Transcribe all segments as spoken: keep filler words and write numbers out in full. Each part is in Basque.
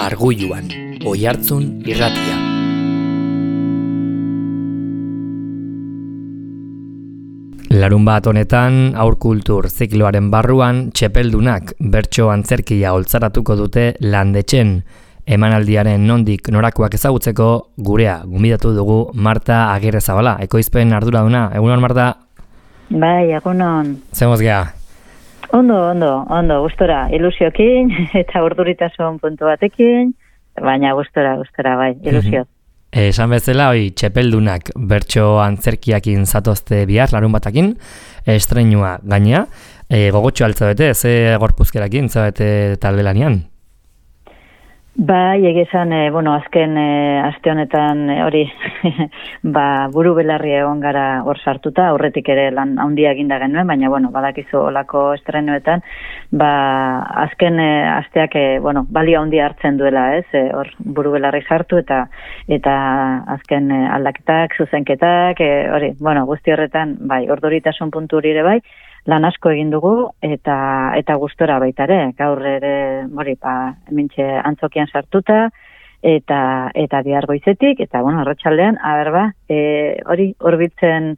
Arguluan, Oihartzun irratia. Larunbat honetan, aurkultur zikloaren barruan, txepeldunak bertso antzerkia oltzaratuko dute Landetxen. Emanaldiaren nondik norakoak ezagutzeko gurea gonbidatu dugu Marta Agirrezabala, ekoizpen arduraduna. Egunon, Marta? Bai, egunon. Zemoz geha? Ondo, ondo, ondo, gustora, ilusiokin eta urduritasun puntu batekin, baina gustora, gustora, bai, ilusio. Esan bezala, oi, txepeldunak bertso antzerkiakin zatozte bihar, larun batakin, estreinua gainea, e, gogotxo altzabete, ze gorpuzkerakin, zabete talde lanian? Bai, egizan, e, bueno, azken e, aste honetan e, hori ba, buru belarri egon gara hor sartuta, aurretik ere lan handia eginda genuen, baina, bueno, badakizu olako estrenuetan, ba, azken e, asteak, e, bueno, balio handia hartzen duela, ez, e, hor buru belarri sartu, eta eta azken e, aldaketak, zuzenketak, e, hori, bueno, guzti horretan, bai, orduritasun puntu hori ere bai, lan asko egin dugu eta eta gustora baita ere. Gaur ere, hori, ba, hementxe antzokian sartuta eta eta bihar goizetik eta bueno, arratsaldean, aber ba, e, hori hurbiltzen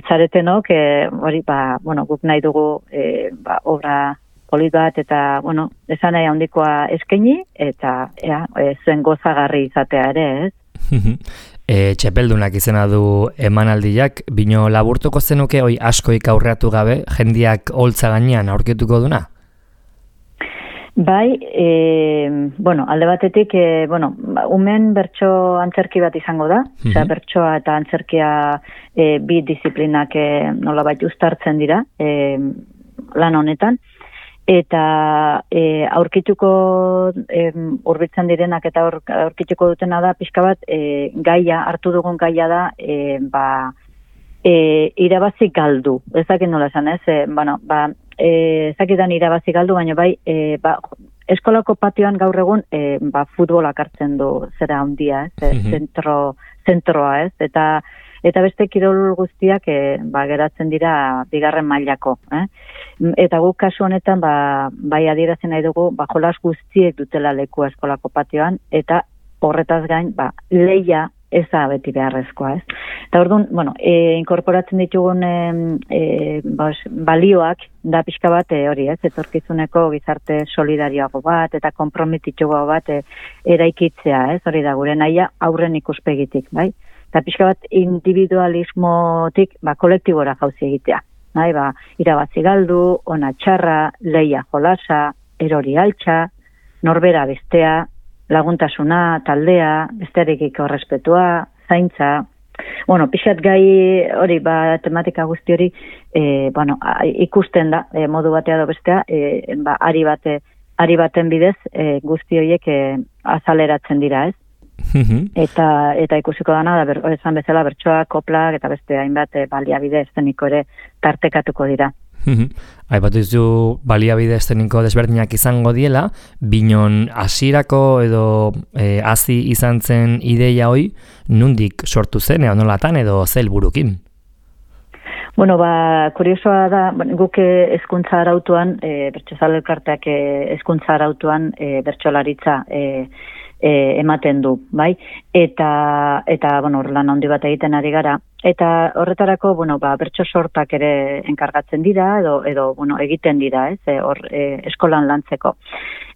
zaretenok, e, hori ba, bueno, guk nahi dugu e, ba, obra polit bat eta bueno, esan nahi handikoa eskaini eta ea, e, zuen gozagarri izatea ere, ez? E, txepeldunak izena du emanaldiak, bino laburtuko zenuke hoi askoik aurreatu gabe, jendiak holtza gainean aurkituko duna? Bai, e, bueno, alde batetik, e, bueno, umen bertso antzerki bat izango da, mm-hmm. Osea, bertsoa eta antzerkia e, bi disiplinak e, nolabait uztartzen dira e, lan honetan, eta e, aurkituko e, hurbiltzen direnak eta aur, aurkituko dutena da pixka bat e, gaia, hartu dugun gaia da e, ba, e, irabazi galdu. Ez dakit nola esan, ez? E, bueno, ba, e, ez dakitan irabazi galdu, baina bai e, ba, eskolako patioan gaur egun e, ba, futbolak hartzen du zera handia, ez? Mm-hmm. Zentro, zentroa, ez? Eta Eta beste kirol guztiak e, ba, geratzen dira bigarren mailako. Eh? Eta guk kasu honetan ba, bai adierazen nahi dugu ba, jolas guztiek dutela lekua eskolako patioan, eta horretaz gain ba, leia ez da beti beharrezkoa. Ez? Eta orduan, bueno, e, inkorporatzen ditugun e, e, bas, balioak da pixka bat e, hori, ez, etorkizuneko gizarte solidarioago bat eta konprometituago bat e, eraikitzea, ez, hori da gure nahia aurren ikuspegitik, bai? Eta pixka bat individualismotik ba, kolektibora jauzi egitea. Nahi, ba, irabazi galdu, ona txarra, leia jolasa, erori altxa, norbera bestea, laguntasuna, taldea, bestearekiko errespetua, zaintza. Bueno, pixat gai hori, ba, tematika guzti hori, e, bueno, ikusten da, e, modu batea do bestea, e, ba, ari, bate, ari baten bidez e, guzti horiek e, azaleratzen dira, ez? eta eta ikusiko dana da ber, esan bezala bertsoa, koplak eta beste hainbat e, baliabide eszeniko ere tartekatuko dira. Aipatu dizu baliabide eszeniko desberdinak izango diela, binon hasierako edo e, hasi izan zen ideia hoi, nundik sortu zen edo nolatan edo ze helburukin? Bueno, ba, kuriosoa da, guk hezkuntza arautuan, e, bertsozale elkarteak hezkuntza arautuan e, bertsolaritza e, E, ematen du, bai? Eta, eta bueno, lan handi bat egiten ari gara. Eta horretarako, bueno, ba, bertso sortak ere enkargatzen dira, edo, edo bueno, egiten dira, ez? E, hor, e, eskolan lantzeko.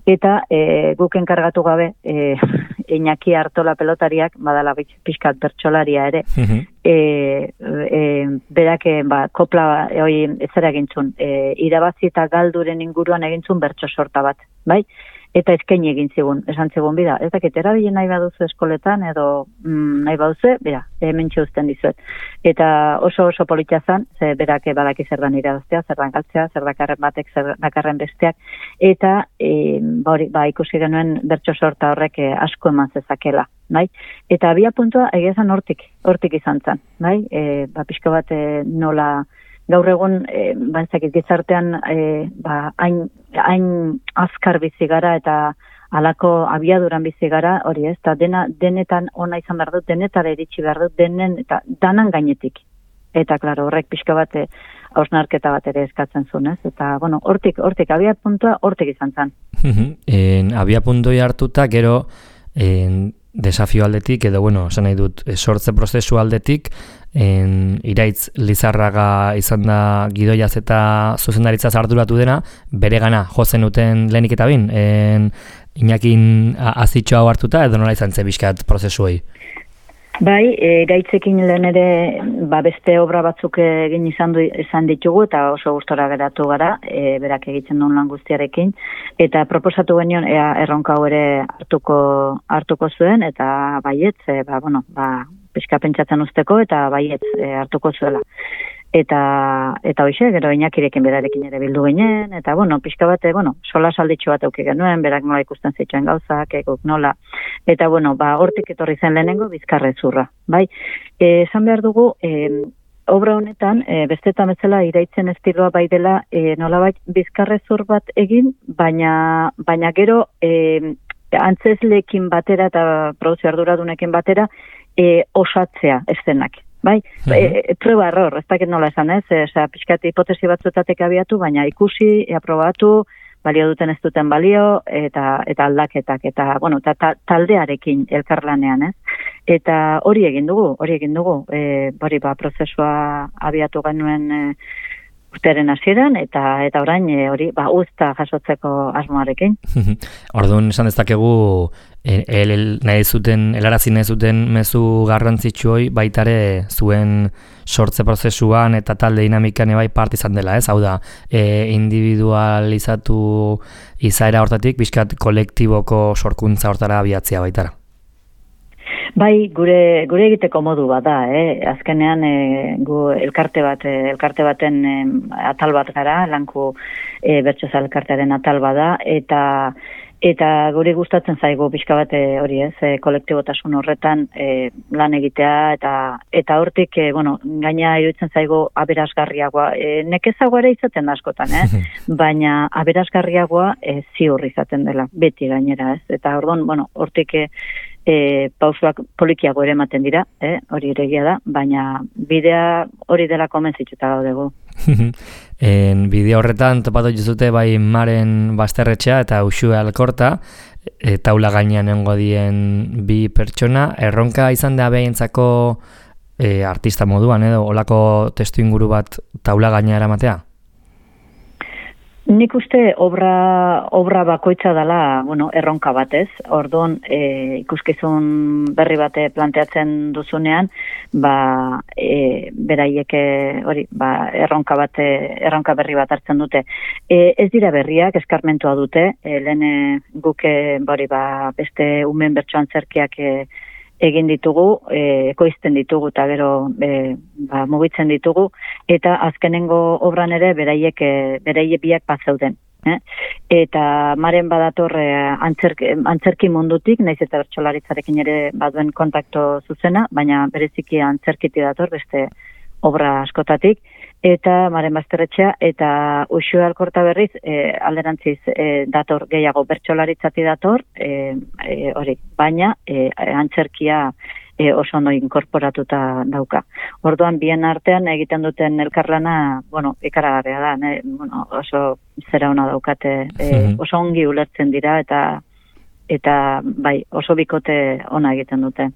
Eta e, guk enkargatu gabe, e, Iñaki Artola pelotariak, badala pixkat bertsolaria ere, uh-huh. e, e, berak, ba, kopla, hoi, ezera egintzun, e, irabazi eta galduren inguruan egintzun bertso sorta bat, bai? Eta eskaini egin zigun, esan zigun, bida, ez dakit, erabilen nahi baduzu eskoletan, edo mm, nahi baduzu, bera, hemen txuzten dizuet. Eta oso oso politia zan, ze berak badaki zer dan irabaztea, zer dan galtzea, zer dakarren batek, zer dakarren besteak, eta e, ba, ba, ikusi genuen bertso sorta horrek e, asko eman zezakela, bai? Eta abia puntua egiazan hortik, hortik izan zen, bai? E, ba, pixko bat e, nola... Gaur egun, e, bantzakit gizartean, e, ba, hain, hain azkar bizi gara eta alako abiaduran bizi gara, hori ez, eta dena, denetan ona izan behar dut, denetara iritsi behar dut, denen eta danan gainetik. Eta, klaro, horrek pixka bat hausnarketa bat ere eskatzen zuen, ez? Eta, bueno, hortik, hortik, abia puntua, hortik izan zen. en, abia puntoi hartuta, gero, en, desafio aldetik, edo, bueno, esan nahi dut, sortze prozesu aldetik, en, Iraitz Lizarraga izan da gidoiaz eta zuzendaritza arduratu dena, bere gana jozen uten lehenik eta bin, en, Inakin azitxo hau hartuta, edo nola izan ze bizkat prozesuei? Bai, e, Iraitzekin lehen ere ba, beste obra batzuk egin izan, du, izan ditugu eta oso gustora geratu gara, e, berak egiten duen lan guztiarekin, eta proposatu genion ea erronka hau ere hartuko, hartuko zuen, eta baietz, e, ba, bueno, ba, pixka pentsatzen usteko, eta baietz e, hartuko zuela. Eta eta hoize, gero Inakirekin berarekin ere bildu ginen, eta bueno, pixka bate, bueno, sola salditxo bat auki genuen, berak nola ikusten zituen gauzak, egok nola. Eta bueno, ba, hortik etorri zen lehenengo bizkarrezurra, bai? Eh, esan behar dugu, eh, obra honetan, e, bestetan bezala Iraitzen estiloa bai dela, e, nolabait bizkarrezur bat egin, baina baina gero e, antzezleekin batera eta produzio arduradunekin batera e, osatzea eszenak. Bai, uh-huh. e, prueba error, ez dakit nola esan ez, e, pixkat hipotesi batzuetatek abiatu, baina ikusi, e, aprobatu, balio duten ez duten balio, eta eta aldaketak, eta, bueno, ta, ta, taldearekin elkarlanean, ez? Eta hori egin dugu, hori egin dugu, e, hori ba, prozesua abiatu genuen e, urtearen hasieran eta eta orain e, hori ba uzta jasotzeko asmoarekin. Orduan esan dezakegu el, el, nahi zuten helarazi nahi zuten mezu garrantzitsu hori baitare zuen sortze prozesuan eta talde dinamikan bai parte izan dela, ez? Hau da, e, individualizatu izaera hortatik bizkat kolektiboko sorkuntza hortara abiatzea baitara. Bai, gure gure egiteko modu bat da, eh? Azkenean e, gu elkarte bat, e, elkarte baten e, atal bat gara, lanku e, bertsoza elkartearen atal bat da, eta eta guri gustatzen zaigu pixka bat hori ez, e, kolektibotasun horretan e, lan egitea, eta eta hortik, e, bueno, gaina iruditzen zaigu aberasgarriagoa, e, nekezagoa ere izaten da askotan, eh? Baina aberasgarriagoa e, ziur izaten dela, beti gainera, ez? Eta orduan, bueno, hortik e, E, pausuak polikiago ere ematen dira, eh? Hori ere egia da, baina bidea hori dela komentzituta gaudegu. En bideo horretan topatu juzute bai Maren Basterretxea eta Uxue Alkorta, e, taula gainean nengo dien bi pertsona, erronka izan da behintzako e, artista moduan, edo olako testu inguru bat taula gaina eramatea? Nik uste obra, obra bakoitza dela, bueno, erronka batez. Orduan, e, ikuskizun berri bate planteatzen duzunean, ba, e, beraiek hori, ba, erronka bate, erronka berri bat hartzen dute. E, ez dira berriak, eskarmentua dute, e, lehen guke, bori, ba, beste umen bertsoan zerkiak e, egin ditugu, e, ekoizten ditugu eta gero e, ba, mugitzen ditugu, eta azkenengo obran ere beraiek, e, beraiek biak bat zeuden. Eh? Eta Maren badator e, antzerki, antzerki mundutik, naiz eta bertsolaritzarekin ere baduen kontakto zuzena, baina bereziki antzerkiti dator beste obra askotatik, eta Maren Basterretxea eta Uxue Alkorta berriz e, alderantziz e, dator gehiago bertsolaritzati dator, e, e, hori, baina e, antzerkia e, oso ondo inkorporatuta dauka. Orduan bien artean egiten duten elkarlana, bueno, ikaragarria da, ne? Bueno, oso zera ona daukate, e, oso ongi ulertzen dira eta eta bai, oso bikote ona egiten dute.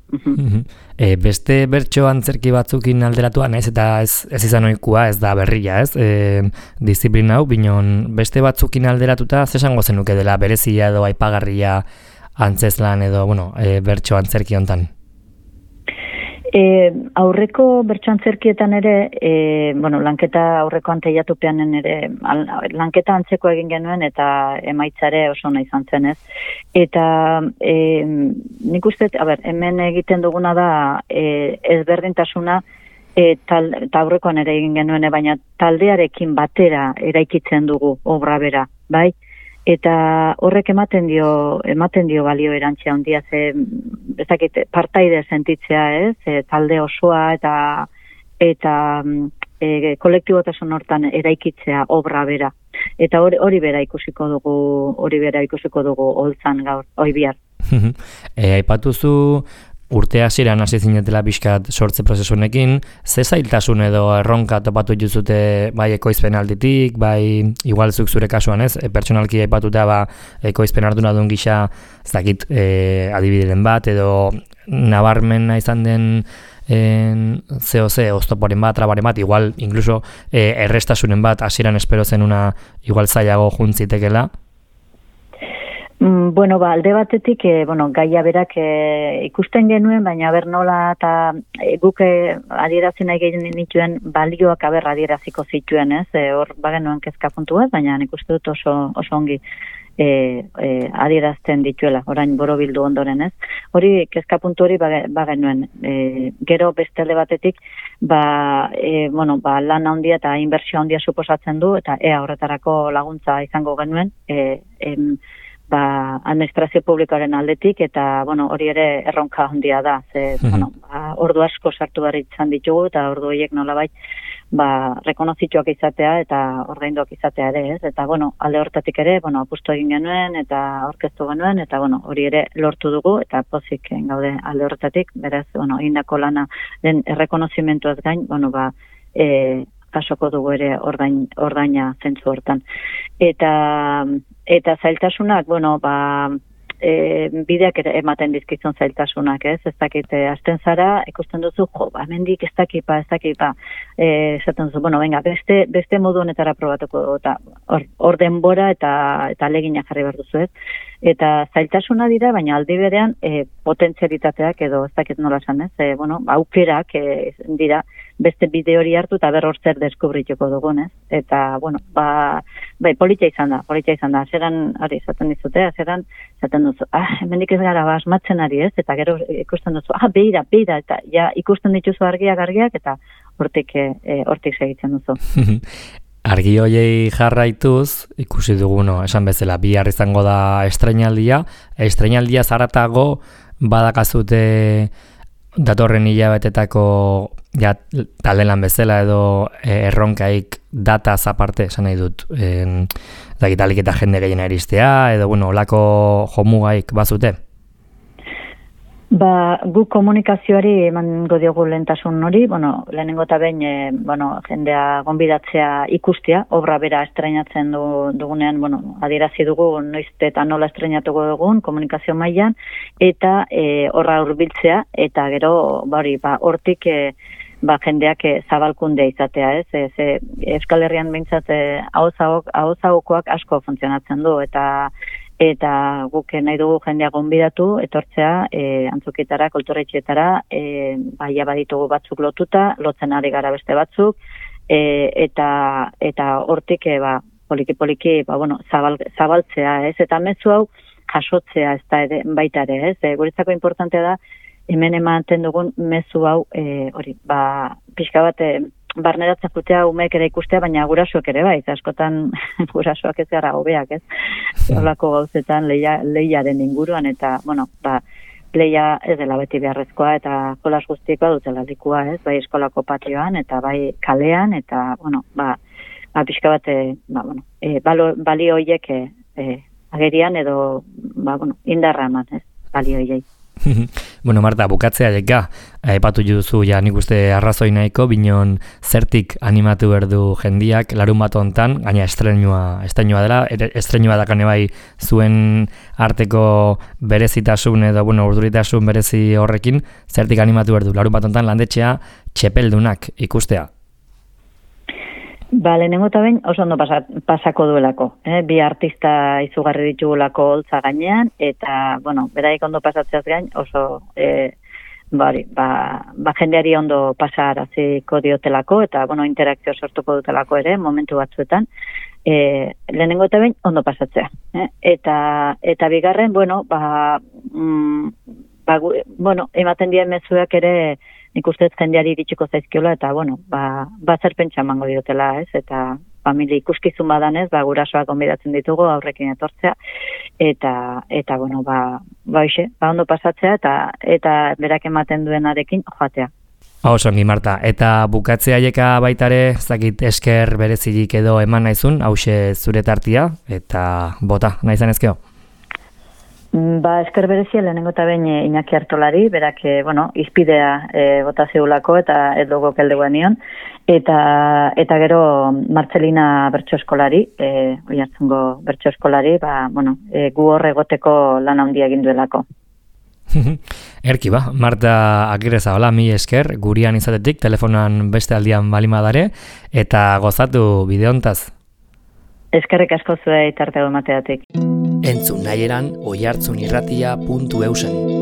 e, beste bertso antzerki batzukin alderatua, naiz eta ez, ez izan ohikoa, ez da berria, ez? E, disiplina hau, binon beste batzukin alderatuta, zesango zenuke dela berezia edo aipagarria antzezlan edo, bueno, e, bertso antzerki hontan? E, aurreko bertso antzerkietan ere, e, bueno, lanketa aurreko anteiatupeanen ere, al, lanketa antzeko egin genuen eta emaitzare oso ona izan zen, ez? Eta e, nik uste, a ber, hemen egiten duguna da e, ezberdintasuna, e, tal, eta aurrekoan ere egin genuen, baina taldearekin batera eraikitzen dugu obra bera, bai? Eta horrek ematen dio ematen dio balio erantzia handia, ze ezakit partaide sentitzea, ez? E, talde osoa eta eta e, kolektibotasun hortan eraikitzea obra bera. Eta hori hori bera ikusiko dugu, hori bera ikusiko dugu holtzan gaur, oi bihar. e, aipatuzu urte hasieran hasi zinetela pixkat sortze prozesunekin, ze zailtasun edo erronka topatu juzute bai ekoizpen alditik, bai igual zuk zure kasuan ez, e, pertsonalki aipatuta ba, ekoizpen arduna duen gisa, ez dakit e, adibideren bat, edo nabarmena izan den en C O C, oztoporen bat, trabaren bat, igual, incluso e, errestasunen bat, hasieran espero zen una igual zailago juntzitekela. Mm, bueno, ba, alde batetik, e, bueno, gaia berak e, ikusten genuen, baina ber nola eta e, guk e, adierazi nahi gehien nituen balioak aber adieraziko zituen, ez? E, hor bagenuen kezka puntu bat, baina nik uste dut oso, oso ongi e, e, adierazten dituela, orain borobildu ondoren, ez? Hori, kezka puntu hori bagenuen. E, gero beste alde batetik, ba, e, bueno, ba, lan handia eta inbertsio handia suposatzen du, eta ea horretarako laguntza izango genuen, e, em, ba, administrazio publikoaren aldetik, eta, bueno, hori ere erronka handia da, ze, mm-hmm. bueno, ba, ordu asko sartu behar izan ditugu, eta ordu horiek nolabait, ba, rekonozituak izatea, eta ordainduak izatea ere, ez? Eta, bueno, alde hortatik ere, bueno, apustu egin genuen, eta aurkeztu genuen, eta, bueno, hori ere lortu dugu, eta pozik gaude alde hortatik, beraz, bueno, indako lana den errekonozimentuaz gain, bueno, ba, e, kasoko dugu ere ordain, ordaina zentzu hortan. Eta, eta zailtasunak, bueno, ba, e, bideak ere ematen dizkizun zailtasunak, ez? Ez dakit, e, azten zara, ikusten duzu, jo, ba, mendik ez dakipa, ez dakipa, e, esaten duzu, bueno, venga, beste, beste modu honetara probatuko, eta hor, hor denbora eta, eta legina jarri behar duzu, ez? Eta zailtasuna dira, baina aldi berean e, potentzialitateak edo ez dakit nola esan, ez? E, bueno, aukerak e, dira, beste bide hori hartu eta berror zer deskubrituko dugun, ez? Eta, bueno, ba, bai, politia izan da, politia izan da, azeran, hori, esaten dizute, azeran, esaten duzu, ah, hemendik ez gara, ba, asmatzen ari, ez? Eta gero ikusten duzu, ah, beira, beira, eta ja, ikusten dituzu argiak, argiak, eta hortik, e, hortik segitzen duzu. Argi hoiei jarraituz, ikusi dugu, no, esan bezala, bihar izango da estreinaldia, estreinaldia zaratago badakazute datorren hilabetetako ja, talelan bezala edo erronkaik dataz aparte, esan nahi dut, en, dakitalik eta jende gehien eristea, edo, bueno, olako jomugaik bazute? Ba, gu komunikazioari emango diogu lehentasun hori, bueno, lehenengo eta behin, e, bueno, jendea gonbidatzea ikustea, obra bera estreinatzen du, dugunean, bueno, adierazi dugu noiz eta nola estreinatuko dugun komunikazio mailan, eta e, horra hurbiltzea, eta gero, bari, ba, hortik, e, ba, jendeak e, zabalkundea izatea, ez? Ez, e, Euskal Herrian behintzat e, ahozagokoak asko funtzionatzen du, eta eta guk nahi dugu jendea gonbidatu, etortzea, e, antzokietara, kulturetxeetara, e, baia baditugu batzuk lotuta, lotzen ari gara beste batzuk, e, eta eta hortik, e, ba, poliki-poliki, ba, bueno, zabal, zabaltzea, ez? Eta mezu hau jasotzea, ez da ere, baita ere, ez? E, guretzako importantea da, hemen ematen dugun mezu hau, e, hori, ba, pixka bat, e, barneratzen jutea umeek ere ikustea, baina gurasoak ere bai, askotan gurasoak ez gara hobeak, ez? Holako gauzetan leia, leiaren inguruan, eta, bueno, ba, leia ez dela beti beharrezkoa, eta jolas guztiekoa dutela likua, ez? Bai eskolako patioan, eta bai kalean, eta, bueno, ba, ba pixka bat, ba, bueno, e, balo, balio horiek e, e, agerian, edo, ba, bueno, indarra eman, ez? Balio horiek. Bueno, Marta, bukatzea jeka, aipatu duzu ja nik uste arrazoi nahiko, binon zertik animatu berdu jendiak larun bat hontan, gaina estreinua, estreinua dela, estreinua dakane bai zuen arteko berezitasun edo, bueno, urduritasun berezi horrekin, zertik animatu berdu larun bat hontan landetxea txepeldunak ikustea? Ba, lehenengo eta behin oso ondo pasa, pasako duelako. Eh? Bi artista izugarri ditugulako holtza gainean, eta, bueno, beraik ondo pasatzeaz gain, oso, e, bari, ba, ba jendeari ondo pasaraziko diotelako, eta, bueno, interakzio sortuko dutelako ere, momentu batzuetan. E, lehenengo eta behin ondo pasatzea. Eh? Eta, eta bigarren, bueno, ba, mm, ba, bueno, ematen dien mezuak ere, nik ustez jendeari iritsiko zaizkiola, eta, bueno, ba, ba zer pentsa emango diotela, ez? Eta familia ikuskizun badanez, ba, gurasoak gonbidatzen ditugu, aurrekin etortzea, eta, eta bueno, ba, ba, ixe, ba, ondo pasatzea, eta, eta berak ematen duenarekin joatea. Oso ongi, Marta, eta bukatzea jeka baitare, zakit esker berezirik edo eman naizun, hause zure tartia, eta bota, nahi zanezkeo? Ba, esker berezia lehenengo eta behin Iñaki Artolari, berak, e, bueno, izpidea e, bota zeulako eta ez dugu keldeguan nion, eta, eta gero Martzelina bertso eskolari, e, Oiartzungo bertso eskolari, ba, bueno, e, gu hor egoteko lan handia egin duelako. Erki ba, Marta Agirrezabala, mi esker, gurian izatetik, telefonan beste aldian balimadare, eta gozatu bideontaz. Eskerrik asko zuei tartego emateatik. Entzun nahi eran oihartzunirratia puntu eusen.